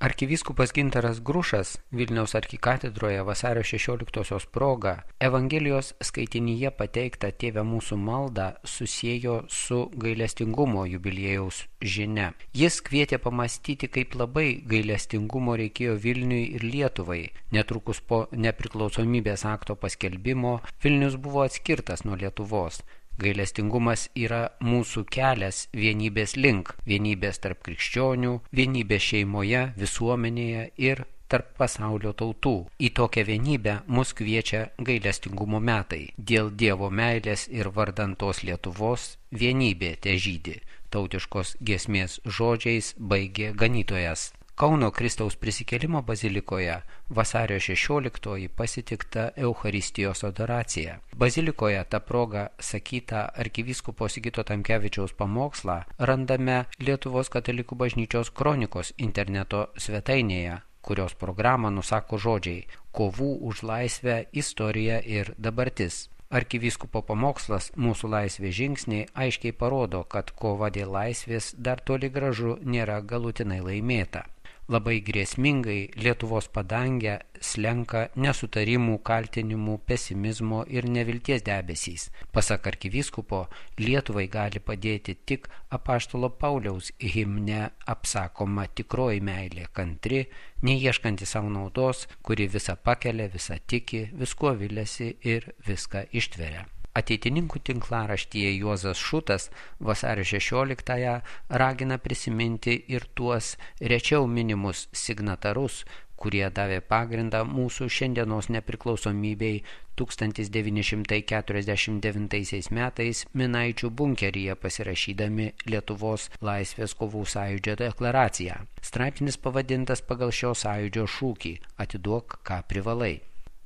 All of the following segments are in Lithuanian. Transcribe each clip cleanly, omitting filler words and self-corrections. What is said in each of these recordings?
Arkivyskupas Gintaras Grušas Vilniaus arkikatedroje vasario 16 proga Evangelijos skaitinyje pateiktą Tėve mūsų maldą susiejo su gailestingumo jubiliejaus žinia. Jis kvietė pamastyti, kaip labai gailestingumo reikėjo Vilniui ir Lietuvai. Netrukus po nepriklausomybės akto paskelbimo Vilnius buvo atskirtas nuo Lietuvos. Gailestingumas yra mūsų kelias vienybės link, vienybės tarp krikščionių, vienybės šeimoje, visuomenėje ir tarp pasaulio tautų. Į tokią vienybę mus kviečia gailestingumo metai. Dėl Dievo meilės ir vardan tos Lietuvos vienybė težydi. Tautiškos giesmės žodžiais baigė ganytojas. Kauno Kristaus prisikėlimo bazilikoje vasario 16 pasitikta Eucharistijos adoracija. Bazilikoje ta proga sakytą arkivyskupo Sigito Tamkevičiaus pamokslą randame Lietuvos katalikų bažnyčios kronikos interneto svetainėje, kurios programą nusako žodžiai "Kovų už laisvę, istorija ir dabartis". Arkivyskupo pamokslas "Mūsų laisvės žingsniai" aiškiai parodo, kad kova dėl laisvės dar toli gražu nėra galutinai laimėta. Labai grėsmingai Lietuvos padangę slenka nesutarimų, kaltinimų, pesimizmo ir nevilties debesys. Pasak arkivyskupo, Lietuvai gali padėti tik apaštalo Pauliaus himne apsakoma tikroji meilė, kantri, neieškanti savo naudos, kuri visą pakelia, visą tiki, viskuo viliasi ir viską ištveria. Ateitininkų tinklaraštyje Juozas Šutas vasario 16 ragina prisiminti ir tuos rečiau minimus signatarus, kurie davė pagrindą mūsų šiandienos nepriklausomybei 1949 metais Minaičių bunkeryje pasirašydami Lietuvos laisvės kovų sąjūdžio deklaraciją. Straipsnis pavadintas pagal šio sąjūdžio šūkį "Atiduok, ką privalai".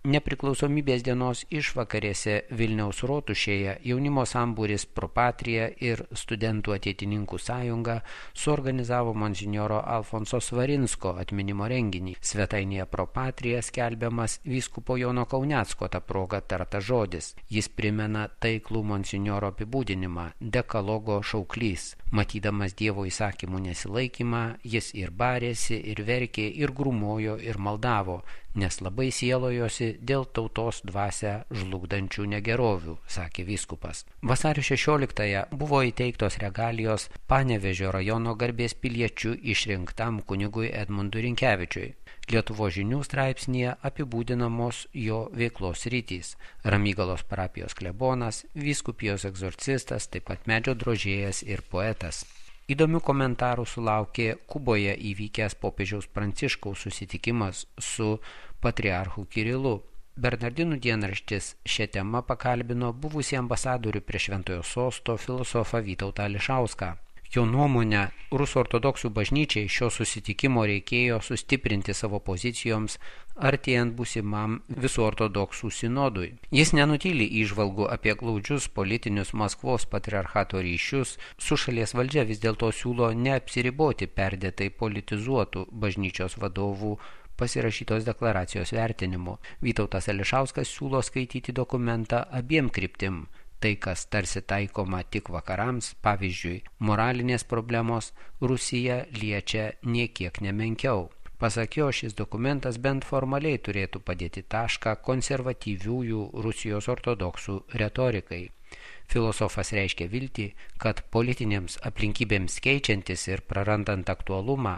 Nepriklausomybės dienos išvakarėse Vilniaus rotušėje jaunimo sambūris Pro Patria ir studentų ateitininkų sąjunga suorganizavo monsinjoro Alfonso Svarinsko atminimo renginį. Svetainėje Pro Patria skelbiamas vyskupo Jono Kaunecko ta proga tartas žodis. Jis primena taiklų monsinjoro apibūdinimą – dekalogo šauklys. Matydamas Dievo įsakymų nesilaikymą, jis ir barėsi, ir verkė, ir grūmojo, ir maldavo, nes labai sielojosi dėl tautos dvasią žlugdančių negerovių, sakė vyskupas. Vasario 16 buvo įteiktos regalijos Panevėžio rajono garbės piliečių išrinktam kunigui Edmundui Rinkevičiui. Lietuvos žinių straipsnėje apibūdinamos jo veiklos rytys – Ramygalos parapijos klebonas, vyskupijos egzorcistas, taip pat medžio drožėjas ir poetas. Įdomių komentarų sulaukė Kuboje įvykęs popiežiaus Pranciškaus susitikimas su patriarchu Kirilu. Bernardinų dienraštis šią temą pakalbino buvusį ambasadorių prie Šventojo sosto filosofą Vytautą Ališauską. Jo nuomone, Rusų ortodoksų bažnyčiai šio susitikimo reikėjo sustiprinti savo pozicijoms artėjant būsimam visų ortodoksų sinodui. Jis nenutyli įžvalgų apie glaudžius politinius Maskvos patriarchato ryšius, su šalies valdžia vis dėlto siūlo neapsiriboti perdėtai politizuotų bažnyčios vadovų pasirašytos deklaracijos vertinimu. Vytautas Ališauskas siūlo skaityti dokumentą abiem kryptim. Tai, kas tarsi taikoma tik vakarams, pavyzdžiui, moralinės problemos Rusiją liečia niekiek nemenkiau. Pasak jo, šis dokumentas bent formaliai turėtų padėti tašką konservatyviųjų Rusijos ortodoksų retorikai. Filosofas reiškia viltį, kad politinėms aplinkybėms keičiantis ir prarandant aktualumą,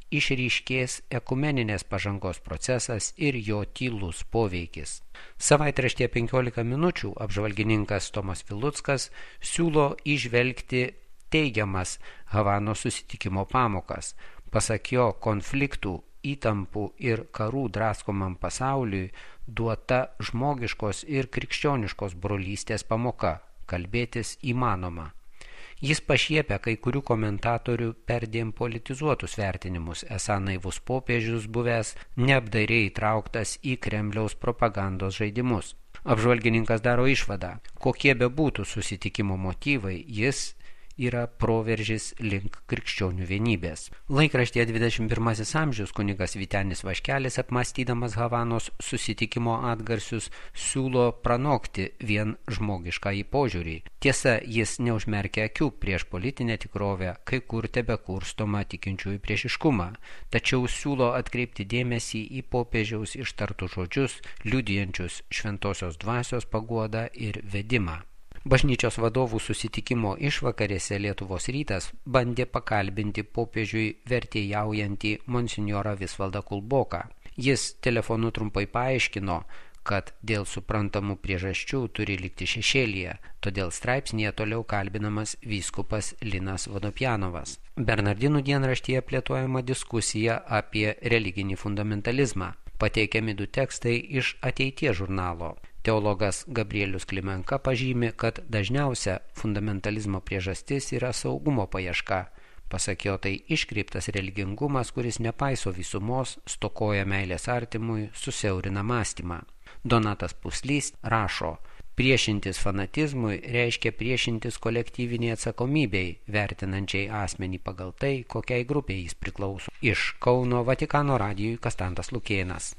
išryškės ekumeninės pažangos procesas ir jo tylus poveikis. Savaitraštyje 15 minučių apžvalgininkas Tomas Viluckas siūlo įžvelgti teigiamas Havanos susitikimo pamokas. Pasak jo, konfliktų, įtampų ir karų draskomam pasauliui duota žmogiškos ir krikščioniškos brolystės pamoka – kalbėtis įmanoma. Jis pašiepia kai kurių komentatorių perdėm politizuotus vertinimus, esą naivus popiežius buvęs neapdairiai įtrauktas į Kremliaus propagandos žaidimus. Apžvalgininkas daro išvadą, kokie bebūtų susitikimo motyvai, jis yra proveržis link krikščionių vienybės. Laikraštyje 21 amžius kunigas Vytenis Vaškelis, apmąstydamas Havanos susitikimo atgarsius, siūlo pranokti vien žmogiškąjį požiūrį. Tiesa, jis neužmerkia akių prieš politinę tikrovę, kai kur tebekurstoma tikinčiųjų priešiškumą, tačiau siūlo atkreipti dėmesį į popiežiaus ištartus žodžius, liudijančius šventosios dvasios paguodą ir vedimą. Bažnyčios vadovų susitikimo išvakarėse Lietuvos rytas bandė pakalbinti popiežiui vertėjaujantį monsinjorą Visvaldą Kulboką. Jis telefonu trumpai paaiškino, kad dėl suprantamų priežasčių turi likti šešėlyje, todėl straipsnėje toliau kalbinamas vyskupas Linas Vodopjanovas. Bernardinų dienraštyje plėtojama diskusija apie religinį fundamentalizmą. Pateikiami 2 tekstai iš Ateities žurnalo. Teologas Gabrielius Klimenka pažymi, kad dažniausia fundamentalizmo priežastis yra saugumo paieška. Pasak jo, tai iškreiptas religingumas, kuris nepaiso visumos, stokoja meilės artimui, susiaurina mąstymą. Donatas Puslys rašo: priešintis fanatizmui reiškia priešintis kolektyviniai atsakomybei, vertinančiai asmenį pagal tai, kokiai grupiai jis priklauso. Iš Kauno Vatikano radijui Kastantas Lukėnas.